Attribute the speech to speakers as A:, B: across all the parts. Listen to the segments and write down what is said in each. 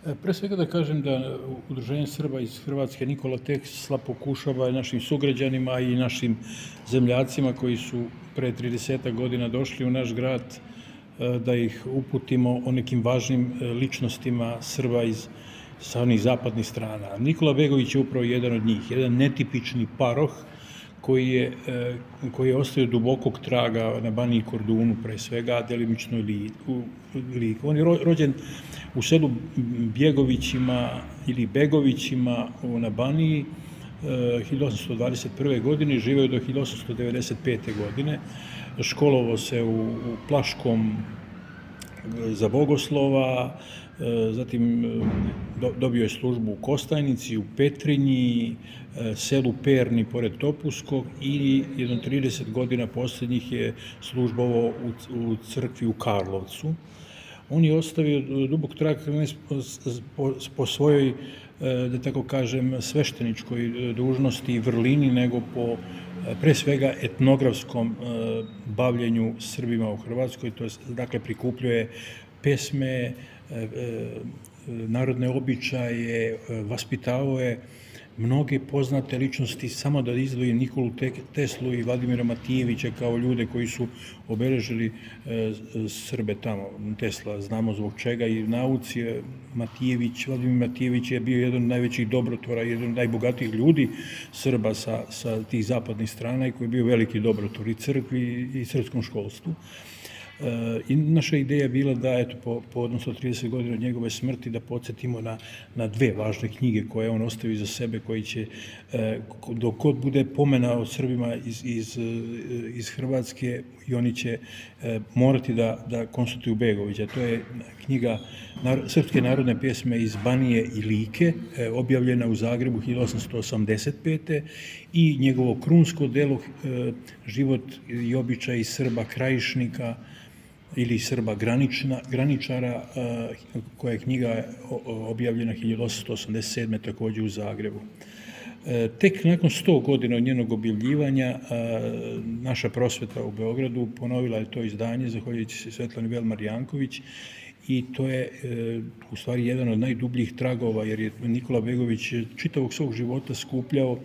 A: Pre svega da kažem da Udruženje Srba iz Hrvatske Nikola Tesla pokušava našim sugrađanima i našim zemljacima koji su pre 30 godina došli u naš grad da ih uputimo o nekim važnim ličnostima Srba sa onih zapadnih strana. Nikola Begović je upravo jedan od njih, jedan netipični paroh koji je ostavio dubokog traga na Baniji i Kordunu, pre svega, a delimično i Liku. On je rođen u selu Bjegovićima ili Begovićima na Baniji 1821. godine i živeo do 1895. godine. Školovao se u Plaškom za bogoslova, zatim dobio je službu u Kostajnici, u Petrinji, selu Perni pored Topuskog i jedno 30 godina posljednjih je službovao u crkvi u Karlovcu. On je ostavio dubok trag po svojoj, da tako kažem, svešteničkoj dužnosti i vrlini, nego po pre svega etnografskom bavljenju Srbima u Hrvatskoj, to je, dakle, prikupljuje pesme, narodne običaje, vaspitavao je mnoge poznate ličnosti, samo da izdvojim Nikolu Teslu i Vladimira Matijevića kao ljude koji su obeležili Srbe tamo. Tesla znamo zbog čega i nauci. Vladimir Matijević je bio jedan od najvećih dobrotvora, jedan od najbogatijih ljudi Srba sa tih zapadnih strana i koji je bio veliki dobrotvor i crkvi i srpskom školstvu. I naša ideja je bila da, eto, po odnosno 30 godina od njegove smrti, da podsjetimo na dve važne knjige koje on ostavi za sebe, koji će, dok god bude pomena o Srbima iz Hrvatske, i oni će morati da konstatuju Begovića. To je knjiga Srpske narodne pjesme iz Banije i Like, objavljena u Zagrebu 1885. i njegovo krunsko delo Život i običaji Srba Krajišnika ili Srba graničara, koja je knjiga objavljena 1887. takođe u Zagrebu. Tek nakon 100 godina od njenog objavljivanja naša prosveta u Beogradu ponovila je to izdanje, zahvaljujući se Svetlani Velmar Janković, i to je u stvari jedan od najdubljih tragova, jer je Nikola Begović čitavog svog života skupljao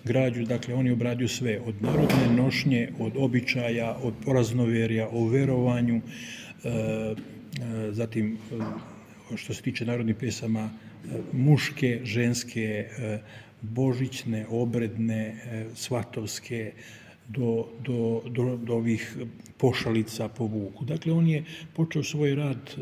A: građu, dakle on je obradio sve, od narodne nošnje, od običaja, od praznoverja, o verovanju, zatim što se tiče narodnih pesama, muške, ženske, božićne, obredne, svatovske, do ovih pošalica po Vuku. Dakle, on je počeo svoj rad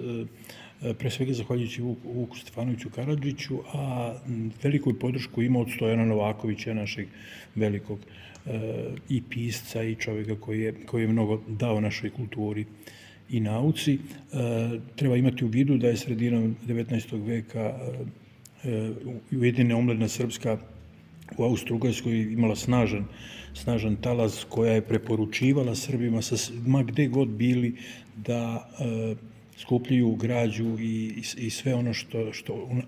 A: pre svega zahvaljujući Vuku Stefanoviću Karadžiću, a veliku podršku ima od Stojana Novakovića, našeg velikog i pisca i čovjeka koji je mnogo dao našoj kulturi i nauci. Treba imati u vidu da je sredinom 19. veka Ujedinjena omladina srpska u Austro-Ugarskoj imala snažan talas, koja je preporučivala Srbima ma gde god bili da skupljaju građu i sve ono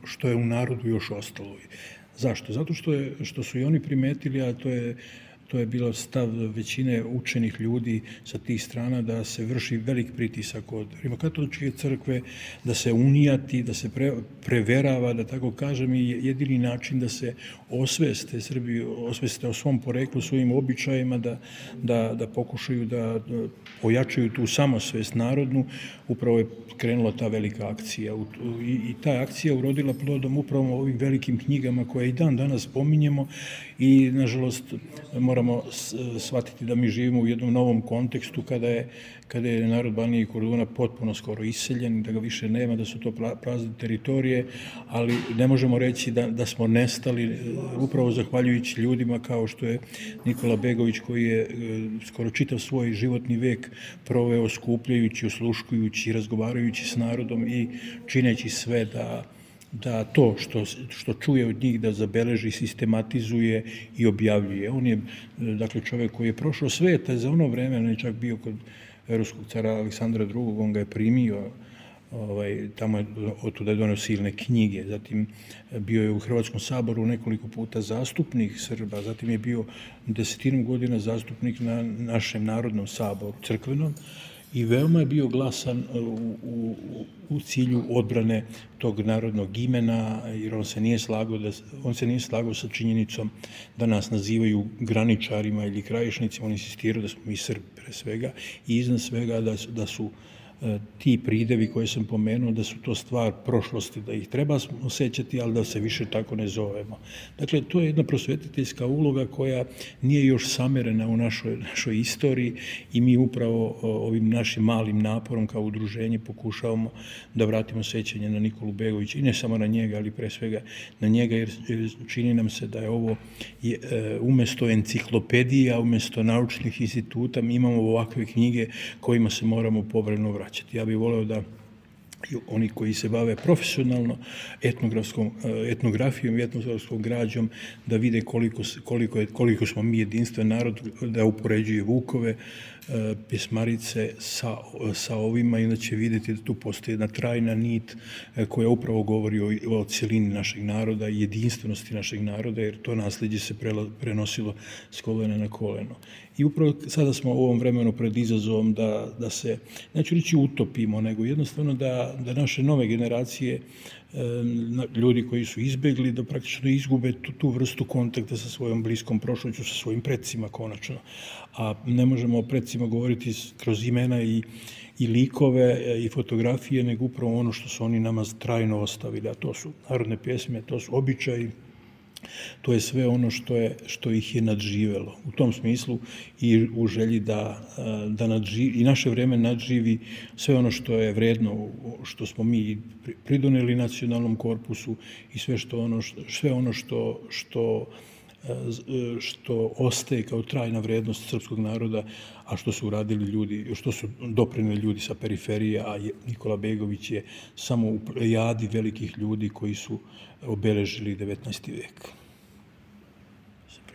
A: što je u narodu još ostalo. Zašto? Zato što su i oni primetili, a to je bilo stav većine učenih ljudi sa tih strana, da se vrši velik pritisak od Rimokatoličke crkve, da se unijati, da se preverava, da tako kažem, i jedini način da se osveste Srbi, osveste o svom poreklu, svojim običajima, da pokušaju da ojačaju tu samosvest narodnu, upravo je krenula ta velika akcija. I ta akcija urodila plodom upravo ovim velikim knjigama koje i dan danas pominjemo i, nažalost, moramo shvatiti da mi živimo u jednom novom kontekstu kada je narod Banije i Korduna potpuno skoro iseljen, da ga više nema, da su to prazne teritorije, ali ne možemo reći da smo nestali upravo zahvaljujući ljudima kao što je Nikola Begović, koji je skoro čitav svoj životni vek proveo skupljajući, osluškujući, razgovarajući s narodom i čineći sve da to što čuje od njih da zabeleži, sistematizuje i objavljuje. On je, dakle, čovjek koji je prošao sveta za ono vreme, on je čak bio kod ruskog cara Aleksandra II, on ga je primio, tamo je otuda je doneo silne knjige, zatim bio je u Hrvatskom saboru nekoliko puta zastupnik Srba, zatim je bio 10 godina zastupnik na našem Narodnom saboru, crkvenom, i veoma je bio glasan u cilju odbrane tog narodnog imena, jer on se nije slagao sa činjenicom da nas nazivaju graničarima ili krajišnicima, on insistirao da smo mi Srbi pre svega i iznad svega da su ti pridevi koje sam pomenuo, da su to stvar prošlosti, da ih treba osjećati, ali da se više tako ne zovemo. Dakle, to je jedna prosvetiteljska uloga koja nije još samerena u našoj istoriji i mi upravo ovim našim malim naporom kao udruženje pokušavamo da vratimo sećanje na Nikolu Begovića i ne samo na njega, ali pre svega na njega, jer čini nam se da je ovo umesto enciklopedija, umesto naučnih instituta, mi imamo ovakve knjige kojima se moramo povremeno vraćati. Ja bih voleo da oni koji se bave profesionalno etnografijom i etnografskom građom, da vide koliko smo mi jedinstven narod, da upoređuje Vukove pjesmarice sa ovima i onda će vidjeti da tu postoji jedna trajna nit koja upravo govori o cijelini našeg naroda i jedinstvenosti našeg naroda, jer to nasljeđe se prenosilo s kolena na koleno. I upravo sada smo u ovom vremenu pred izazovom da se, neću reći utopimo, nego jednostavno da naše nove generacije, ljudi koji su izbegli, da praktično izgube tu vrstu kontakta sa svojom bliskom prošlošću, sa svojim predsima konačno. A ne možemo o predsima govoriti kroz imena i likove i fotografije, nego upravo ono što su oni nama trajno ostavili, a to su narodne pjesme, to su običaji, to je sve ono što ih je nadživelo. U tom smislu i u želji da i naše vreme nadživi sve ono što je vredno, što smo mi pridoneli nacionalnom korpusu i sve ono što ostaje kao trajna vrednost srpskog naroda, a što su uradili ljudi, što su doprineli ljudi sa periferije, a Nikola Begović je samo u plejadi velikih ljudi koji su obeležili 19. vek.